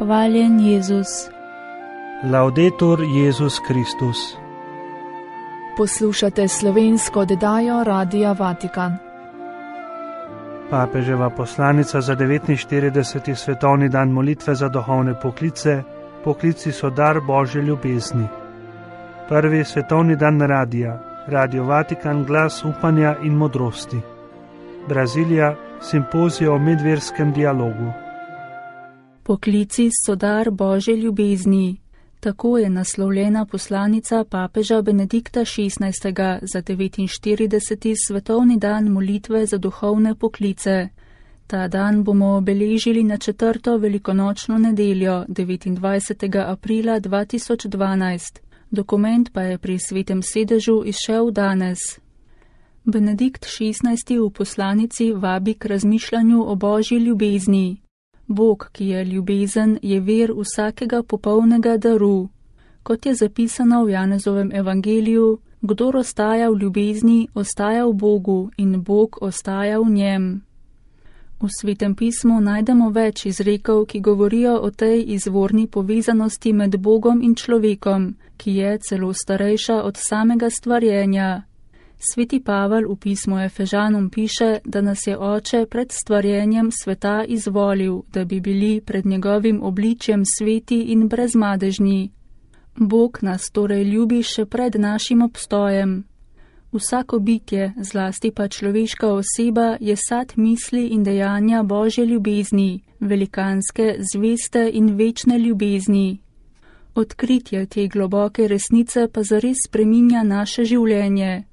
Hvaljen Jezus. Laudetur Jezus Kristus. Poslušate slovensko oddajo Radia Vatikan. Papeževa poslanica za 49. svetovni dan molitve za duhovne poklice. Poklici so dar Božje ljubezni. Prvi svetovni dan radija. Radio Vatikan, glas upanja in modrosti. Brazilija, simpozij o medverskem dialogu. Poklici so dar Božje ljubezni. Tako je naslovljena poslanica papeža Benedikta XVI. Za 49. svetovni dan molitve za duhovne poklice. Ta dan bomo obeležili na 4. velikonočno nedeljo, 29. aprila 2012. Dokument pa je pri Svetem sedežu izšel danes. Benedikt XVI. V poslanici vabi k razmišljanju o Božji ljubezni. Bog, ki je ljubezen, je vir vsakega popolnega daru. Kot je zapisano v Janezovem evangeliju, kdor ostaja v ljubezni, ostaja v Bogu in Bog ostaja v njem. V Svetem pismu najdemo več izrekov, ki govorijo o tej izvorni povezanosti med Bogom in človekom, ki je celo starejša od samega stvarjenja. Sveti Pavel v pismu Efežanom piše, da nas je Oče pred stvarjenjem sveta izvolil, da bi bili pred njegovim obličjem sveti in brezmadežni. Bog nas torej ljubi še pred našim obstojem. Vsako bitje, zlasti pa človeška oseba, je sad misli in dejanja Božje ljubezni, velikanske, zveste in večne ljubezni. Odkritje te globoke resnice pa zares spreminja naše življenje.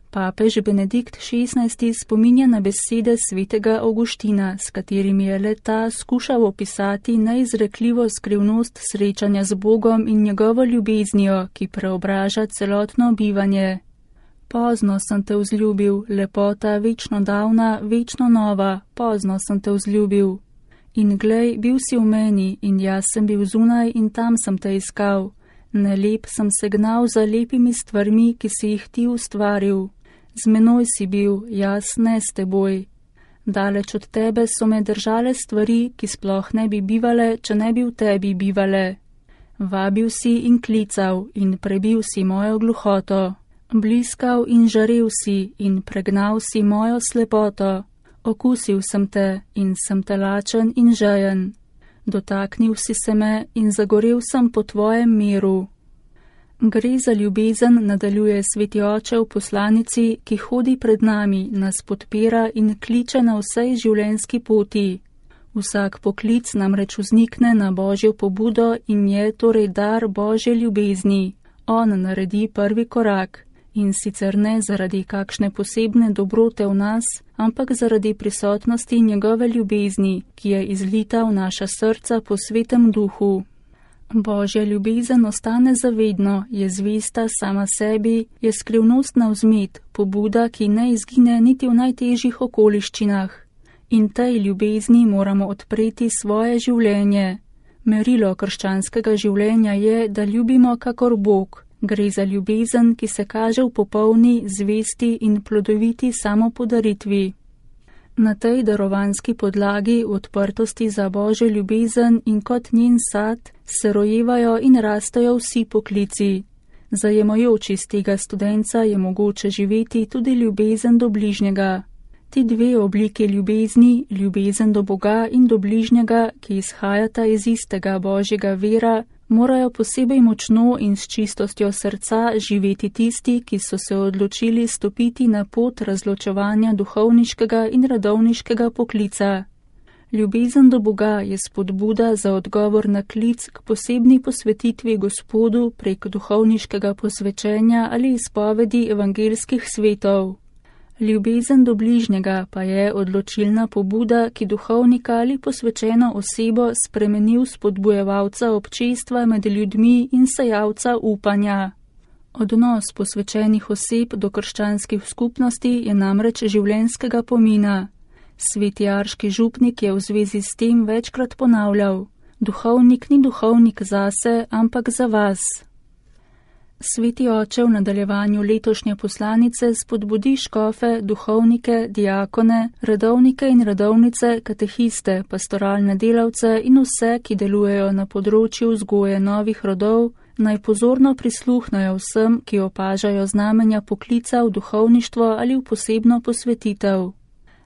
Papež Benedikt XVI. Spominja na besede svetega Avguština, s katerimi je le-ta skušal opisati neizrekljivo skrivnost srečanja z Bogom in njegovo ljubeznijo, ki preobraža celotno bivanje. Pozno sem te vzljubil, lepota večno davna, večno nova, pozno sem te vzljubil. In glej, bil si v meni in jaz sem bil zunaj in tam sem te iskal. Nelep sem se gnal za lepimi stvarmi, ki si jih ti ustvaril. Z menoj si bil, jaz ne s teboj. Daleč od tebe so me držale stvari, ki sploh ne bi bivale, če ne bi v tebi bivale. Vabil si in klical in prebil si mojo gluhoto. Bliskal in žarel si in pregnal si mojo slepoto. Okusil sem te in sem te lačen in žejen. Dotaknil si se me in zagorel sem po tvojem miru. Gre za ljubezen, nadaljuje Sveti Oče v poslanici, ki hodi pred nami, nas podpira in kliče na vsej življenjski poti. Vsak poklic namreč vznikne na Božjo pobudo in je torej dar Božje ljubezni. On naredi prvi korak in sicer ne zaradi kakšne posebne dobrote v nas, ampak zaradi prisotnosti njegove ljubezni, ki je izlita v naša srca po Svetem Duhu. Božja ljubezen ostane zavedno, je zvesta sama sebi, je skrivnostna vzmet, pobuda, ki ne izgine niti v najtežjih okoliščinah. In tej ljubezni moramo odpreti svoje življenje. Merilo krščanskega življenja je, da ljubimo kakor Bog. Gre za ljubezen, ki se kaže v popolni, zvesti in plodoviti samopodaritvi. Na tej darovanski podlagi, v odprtosti za Božjo ljubezen in kot njen sad, se rojevajo in rastejo vsi poklici. Zajemajoč iz tega studenca je mogoče živeti tudi ljubezen do bližnjega. Ti dve obliki ljubezni, ljubezen do Boga in do bližnjega, ki izhajata iz istega Božjega vira, morajo posebej močno in s čistostjo srca živeti tisti, ki so se odločili stopiti na pot razločevanja duhovniškega in redovniškega poklica. Ljubezen do Boga je spodbuda za odgovor na klic k posebni posvetitvi Gospodu prek duhovniškega posvečenja ali izpovedi evangelskih svetov. Ljubezen do bližnjega pa je odločilna pobuda, ki duhovnika ali posvečeno osebo spremeni v spodbujevalca občestva med ljudmi in sejalca upanja. Odnos posvečenih oseb do krščanskih skupnosti je namreč življenjskega pomena. Sveti Arški župnik je v zvezi s tem večkrat ponavljal: duhovnik ni duhovnik zase, ampak za vas. Sveti oče v nadaljevanju letošnje poslanice spodbudi škofe, duhovnike, diakone, redovnike in redovnice, katehiste, pastoralne delavce in vse, ki delujejo na področju vzgoje novih rodov, naj pozorno prisluhnajo vsem, ki opažajo znamenja poklica v duhovništvo ali v posebno posvetitev.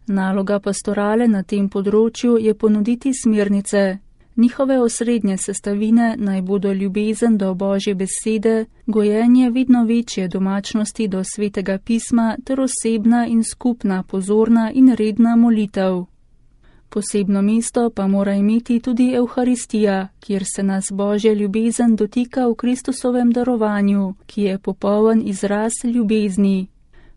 Naloga pastorale na tem področju je ponuditi smernice. Njihove osrednje sestavine naj bodo ljubezen do Božje besede, gojenje vedno večje domačnosti do Svetega pisma ter osebna in skupna pozorna in redna molitev. Posebno mesto pa mora imeti tudi Evharistija, kjer se nas Božja ljubezen dotika v Kristusovem darovanju, ki je popoln izraz ljubezni.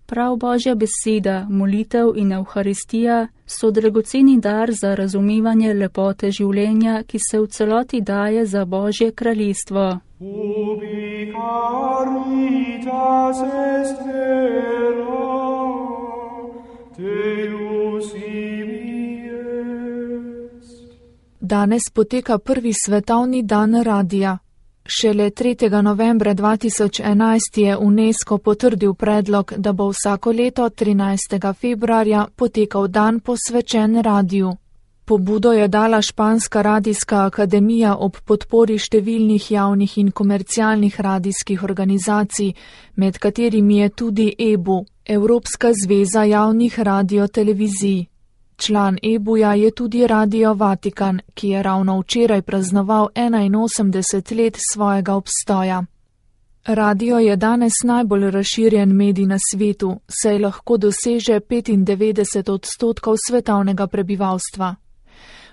Prav Božja beseda, molitev in Evharistija so dragoceni dar za razumevanje lepote življenja, ki se v celoti daje za Božje kraljestvo. Ubi caritas est vera, Deus ibi est. Danes poteka prvi svetovni dan radija. Šele 3. novembra 2011 je UNESCO potrdil predlog, da bo vsako leto 13. februarja potekal dan posvečen radiju. Pobudo je dala Španska radijska akademija ob podpori številnih javnih in komercialnih radijskih organizacij, med katerimi je tudi EBU, Evropska zveza javnih radiotelevizij. Član EBU-ja je tudi Radio Vatikan, ki je ravno včeraj praznoval 81 let svojega obstoja. Radio je danes najbolj razširjen medij na svetu, saj lahko doseže 95% svetovnega prebivalstva.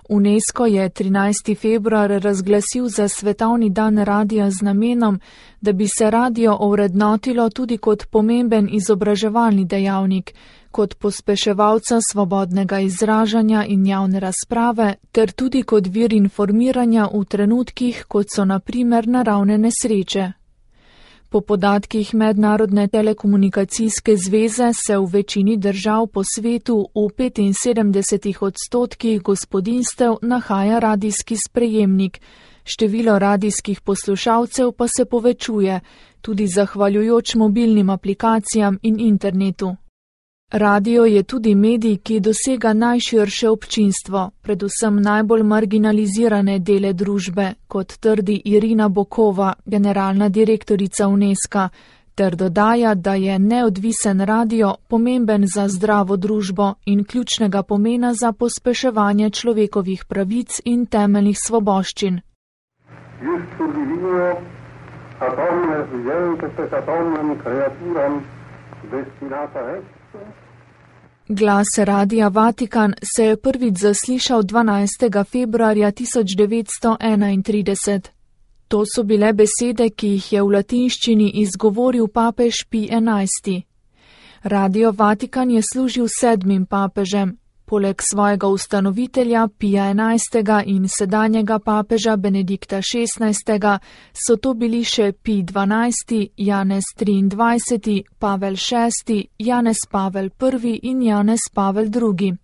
UNESCO je 13. februar razglasil za svetovni dan radija z namenom, da bi se radio ovrednotilo tudi kot pomemben izobraževalni dejavnik, kot pospeševalca svobodnega izražanja in javne razprave, ter tudi kot vir informiranja v trenutkih, kot so na primer naravne nesreče. Po podatkih Mednarodne telekomunikacijske zveze se v večini držav po svetu v 75% gospodinjstev nahaja radijski sprejemnik, število radijskih poslušalcev pa se povečuje, tudi zahvaljujoč mobilnim aplikacijam in internetu. Radio je tudi medij, ki dosega najširše občinstvo, predvsem najbolj marginalizirane dele družbe, kot trdi Irina Bokova, generalna direktorica UNESCO, ter dodaja, da je neodvisen radio pomemben za zdravo družbo in ključnega pomena za pospeševanje človekovih pravic in temeljnih svoboščin. Glas Radia Vatikan se je prvič zaslišal 12. februarja 1931. To so bile besede, ki jih je v latinščini izgovoril papež Pij XI. Radio Vatikan je služil 7. papežem. Poleg svojega ustanovitelja Pija XI. In sedanjega papeža Benedikta XVI. So to bili še Pij XII., Janez XXIII., Pavel VI., Janez Pavel I. in Janez Pavel II.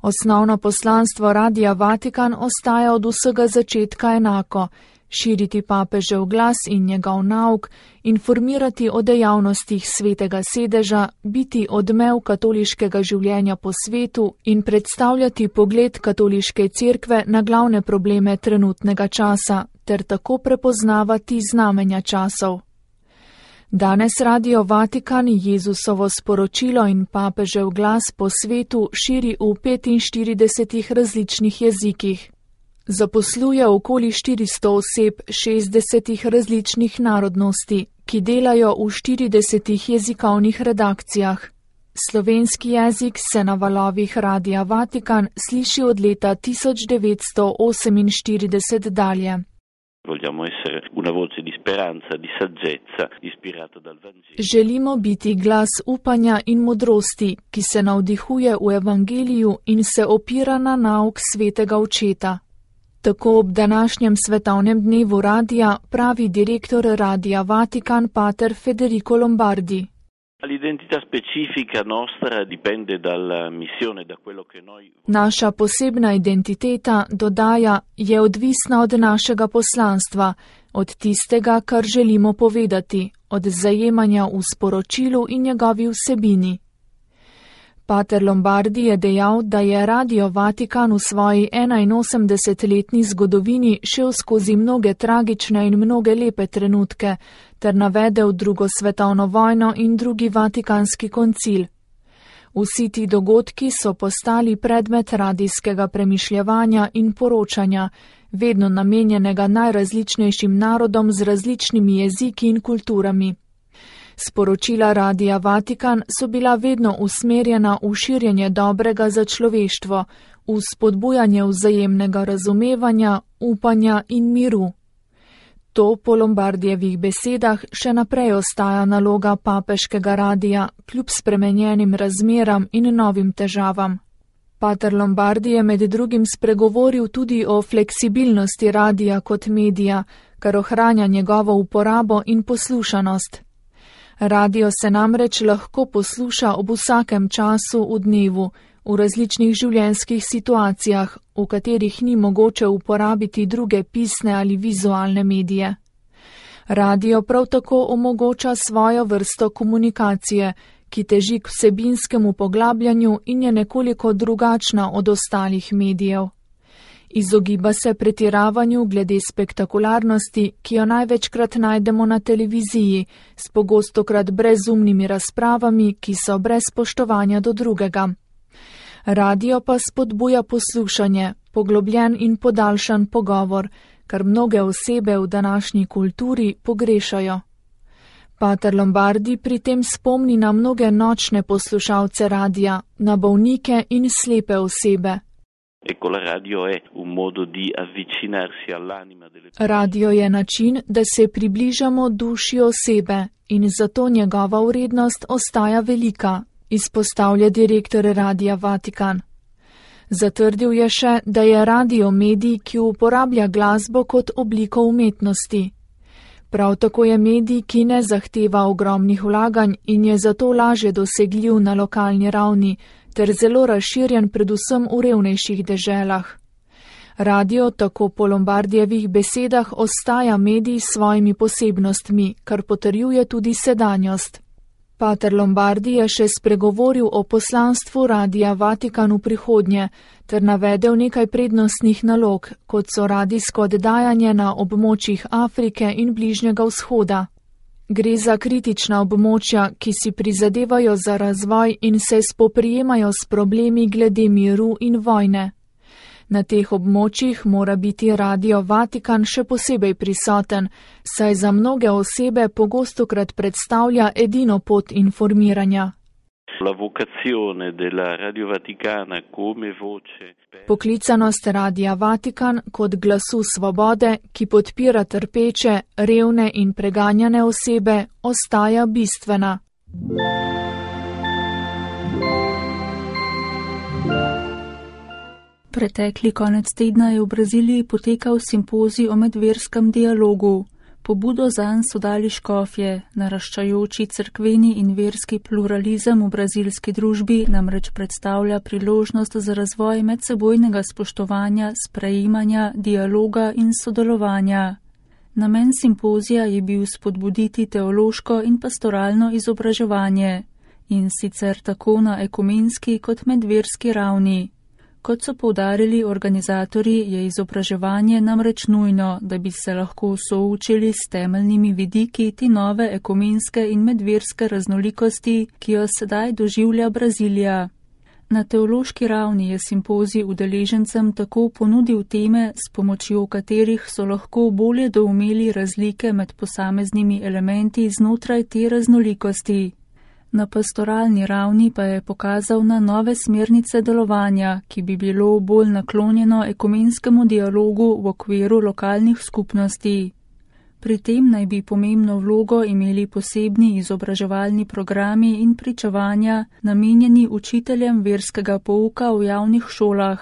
Osnovno poslanstvo Radia Vatikan ostaja od vsega začetka enako: širiti papežev glas in njegov nauk, informirati o dejavnostih Svetega sedeža, biti odmev katoliškega življenja po svetu in predstavljati pogled katoliške cerkve na glavne probleme trenutnega časa, ter tako prepoznavati znamenja časov. Danes Radio Vatikan Jezusovo sporočilo in papežev glas po svetu širi v 45 različnih jezikih. Zaposluje okoli 400 oseb 60 različnih narodnosti, ki delajo v 40 jezikovnih redakcijah. Slovenski jezik se na valovih Radia Vatikan sliši od leta 1948 dalje. Želimo biti glas upanja in modrosti, ki se navdihuje v evangeliju in se opira na nauk svetega očeta. Tako ob današnjem svetovnem dnevu radija pravi direktor Radia Vatikan pater Federico Lombardi. Naša posebna identiteta, dodaja, je odvisna od našega poslanstva, od tistega, kar želimo povedati, od zajemanja v sporočilu in njegovi vsebini. Pater Lombardi je dejal, da je Radio Vatikan v svoji 81-letni zgodovini šel skozi mnoge tragične in mnoge lepe trenutke, ter navedel drugo svetovno vojno in drugi vatikanski koncil. Vsi ti dogodki so postali predmet radijskega premišljevanja in poročanja, vedno namenjenega najrazličnejšim narodom z različnimi jeziki in kulturami. Sporočila Radia Vatikan so bila vedno usmerjena v širjenje dobrega za človeštvo, v spodbujanje vzajemnega razumevanja, upanja in miru. To po Lombardijevih besedah še naprej ostaja naloga papeškega radija, kljub spremenjenim razmeram in novim težavam. Pater Lombardi je med drugim spregovoril tudi o fleksibilnosti radija kot medija, kar ohranja njegovo uporabo in poslušanost. Radio se namreč lahko posluša ob vsakem času v dnevu, v različnih življenjskih situacijah, v katerih ni mogoče uporabiti druge pisne ali vizualne medije. Radio prav tako omogoča svojo vrsto komunikacije, ki teži k vsebinskemu poglabljanju in je nekoliko drugačna od ostalih medijev. Izogiba se pretiravanju glede spektakularnosti, ki jo največkrat najdemo na televiziji, s pogostokrat brezumnimi razpravami, ki so brez spoštovanja do drugega. Radio pa spodbuja poslušanje, poglobljen in podaljšan pogovor, kar mnoge osebe v današnji kulturi pogrešajo. Pater Lombardi pri tem spomni na mnoge nočne poslušalce radia, na bolnike in slepe osebe. Radio je način, da se približamo duši osebe in zato njegova vrednost ostaja velika, izpostavlja direktor Radia Vatikan. Zatrdil je še, da je radio medij, ki uporablja glasbo kot obliko umetnosti. Prav tako je medij, ki ne zahteva ogromnih vlaganj in je zato lažje dosegljiv na lokalni ravni, ter zelo razširjen predvsem v revnejših deželah. Radio tako po Lombardijevih besedah ostaja medij s svojimi posebnostmi, kar potrjuje tudi sedanjost. Pater Lombardi je še spregovoril o poslanstvu Radia Vatikan v prihodnje, ter navedel nekaj prednostnih nalog, kot so radijsko oddajanje na območjih Afrike in Bližnjega vzhoda. Gre za kritična območja, ki si prizadevajo za razvoj in se spoprijemajo s problemi glede miru in vojne. Na teh območjih mora biti Radio Vatikan še posebej prisoten, saj za mnoge osebe pogostokrat predstavlja edino pot informiranja. Poklicanost Radia Vatikan kot glasu svobode, ki podpira trpeče, revne in preganjane osebe, ostaja bistvena. Pretekli konec tedna je v Braziliji potekal simpozij o medverskem dialogu. Pobudo zanj so dali škofje, naraščajoči cerkveni in verski pluralizem v brazilski družbi namreč predstavlja priložnost za razvoj medsebojnega spoštovanja, sprejemanja, dialoga in sodelovanja. Namen simpozija je bil spodbuditi teološko in pastoralno izobraževanje, in sicer tako na ekumenski kot medverski ravni. Kot so poudarili organizatorji, je izobraževanje namreč nujno, da bi se lahko soočili s temeljnimi vidiki te nove ekumenske in medverske raznolikosti, ki jo sedaj doživlja Brazilija. Na teološki ravni je simpozij udeležencem tako ponudil teme, s pomočjo katerih so lahko bolje doumeli razlike med posameznimi elementi znotraj te raznolikosti. Na pastoralni ravni pa je pokazal na nove smernice delovanja, ki bi bilo bolj naklonjeno ekumenskemu dialogu v okviru lokalnih skupnosti. Pri tem naj bi pomembno vlogo imeli posebni izobraževalni programi in pričevanja, namenjeni učiteljem verskega pouka v javnih šolah.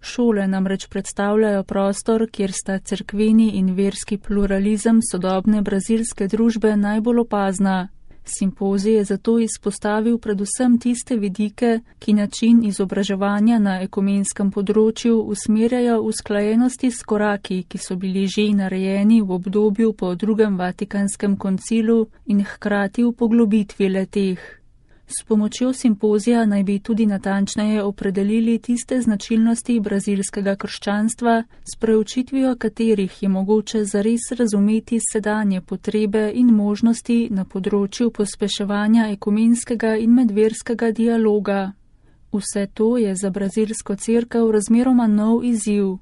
Šole namreč predstavljajo prostor, kjer sta cerkveni in verski pluralizem sodobne brazilske družbe najbolj opazna. Simpozij je zato izpostavil predvsem tiste vidike, ki način izobraževanja na ekumenskem področju usmerjajo v usklajenosti s koraki, ki so bili že narejeni v obdobju po drugem Vatikanskem koncilu in hkrati v poglobitvi le-teh. S pomočjo simpozija naj bi tudi natančneje opredelili tiste značilnosti brazilskega krščanstva, s preučitvijo katerih je mogoče zares razumeti sedanje potrebe in možnosti na področju pospeševanja ekumenskega in medverskega dialoga. Vse to je za brazilsko cerkev razmeroma nov izziv.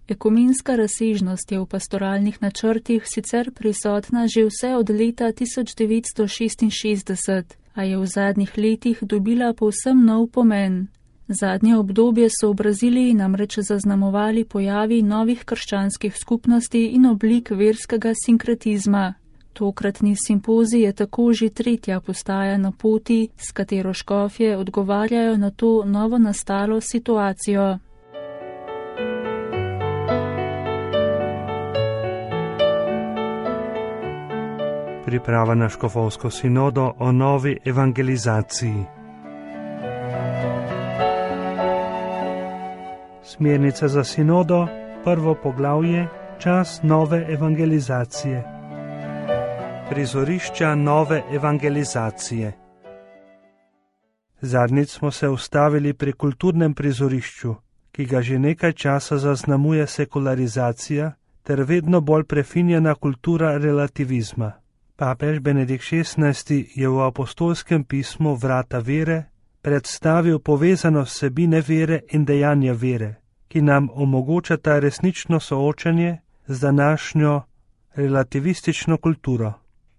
Ekumenska razsežnost je v pastoralnih načrtih sicer prisotna že vse od leta 1966, a je v zadnjih letih dobila povsem nov pomen. Zadnje obdobje so v Braziliji namreč zaznamovali pojavi novih krščanskih skupnosti in oblik verskega sinkretizma. Tokratni simpozij je tako že tretja postaja na poti, s katero škofje odgovarjajo na to novo nastalo situacijo. Priprava na škofovsko sinodo o novi evangelizaciji. Smernice za sinodo, prvo poglavje, čas nove evangelizacije. Prizorišča nove evangelizacije. Zadnjič smo se ustavili pri kulturnem prizorišču, ki ga že nekaj časa zaznamuje sekularizacija ter vedno bolj prefinjena kultura relativizma. Papež Benedikt XVI je v apostolskem pismu Vrata vere predstavil povezanost vsebine vere in dejanja vere, ki nam omogočata resnično soočanje z današnjo relativistično kulturo.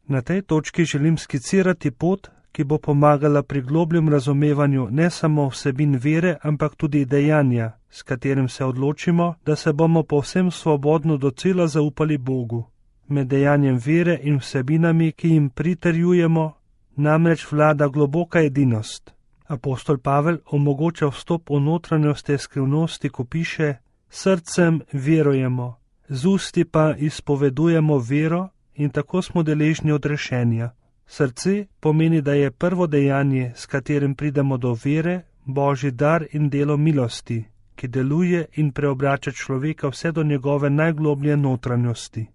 Na tej točki želim skicirati pot, ki bo pomagala pri globljem razumevanju ne samo vsebin vere, ampak tudi dejanja, s katerim se odločimo, da se bomo povsem svobodno docela zaupali Bogu. Med dejanjem vere in vsebinami, ki jim pritrjujemo, namreč vlada globoka edinost. Apostol Pavel omogoča vstop v notranjost te skrivnosti, ko piše: srcem verujemo, z usti pa izpovedujemo vero in tako smo deležni odrešenja. Srce pomeni, da je prvo dejanje, s katerim pridemo do vere, Božji dar in delo milosti, ki deluje in preobrača človeka vse do njegove najgloblje notranjosti.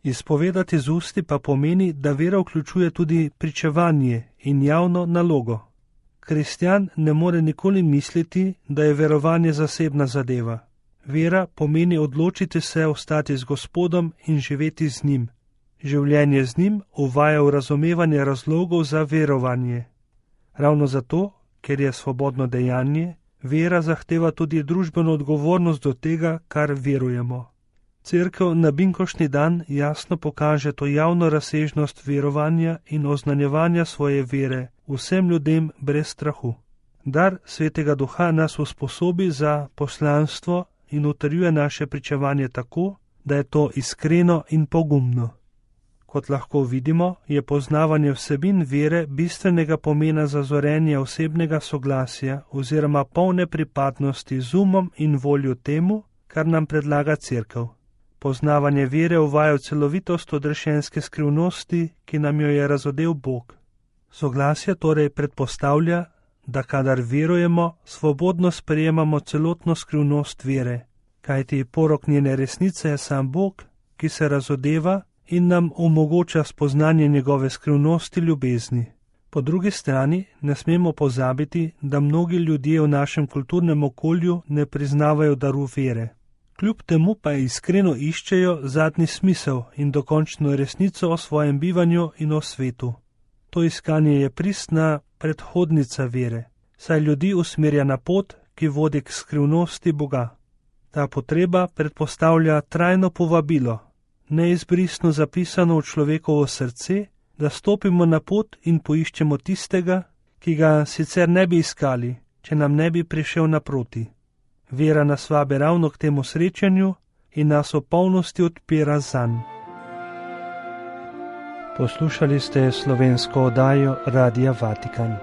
Izpovedati z usti pa pomeni, da vera vključuje tudi pričevanje in javno nalogo. Kristjan ne more nikoli misliti, da je verovanje zasebna zadeva. Vera pomeni odločiti se ostati z Gospodom in živeti z njim. Življenje z njim uvaja v razumevanje razlogov za verovanje. Ravno zato, ker je svobodno dejanje, vera zahteva tudi družbeno odgovornost do tega, kar verujemo. Cerkev na binkoštni dan jasno pokaže to javno razsežnost verovanja in oznanjevanja svoje vere vsem ljudem brez strahu. Dar Svetega Duha nas usposobi za poslanstvo in utrjuje naše pričevanje tako, da je to iskreno in pogumno. Kot lahko vidimo, je poznavanje vsebin vere bistvenega pomena za zorenje osebnega soglasja oziroma polne pripadnosti z umom in voljo temu, kar nam predlaga Cerkev. Poznavanje vere uvaja v celovitost odrešenske skrivnosti, ki nam jo je razodel Bog. Soglasje torej predpostavlja, da kadar verujemo, svobodno sprejemamo celotno skrivnost vere, kajti porok njene resnice je sam Bog, ki se razodeva in nam omogoča spoznanje njegove skrivnosti ljubezni. Po drugi strani ne smemo pozabiti, da mnogi ljudje v našem kulturnem okolju ne priznavajo daru vere. Kljub temu pa iskreno iščejo zadnji smisel in dokončno resnico o svojem bivanju in o svetu. To iskanje je pristna predhodnica vere, saj ljudi usmerja na pot, ki vodi k skrivnosti Boga. Ta potreba predpostavlja trajno povabilo, neizbrisno zapisano v človekovo srce, da stopimo na pot in poiščemo tistega, ki ga sicer ne bi iskali, če nam ne bi prišel naproti. Vera nas vabi ravno k temu srečanju in nas v polnosti odpira zanj. Poslušali ste slovensko oddajo Radia Vatikan.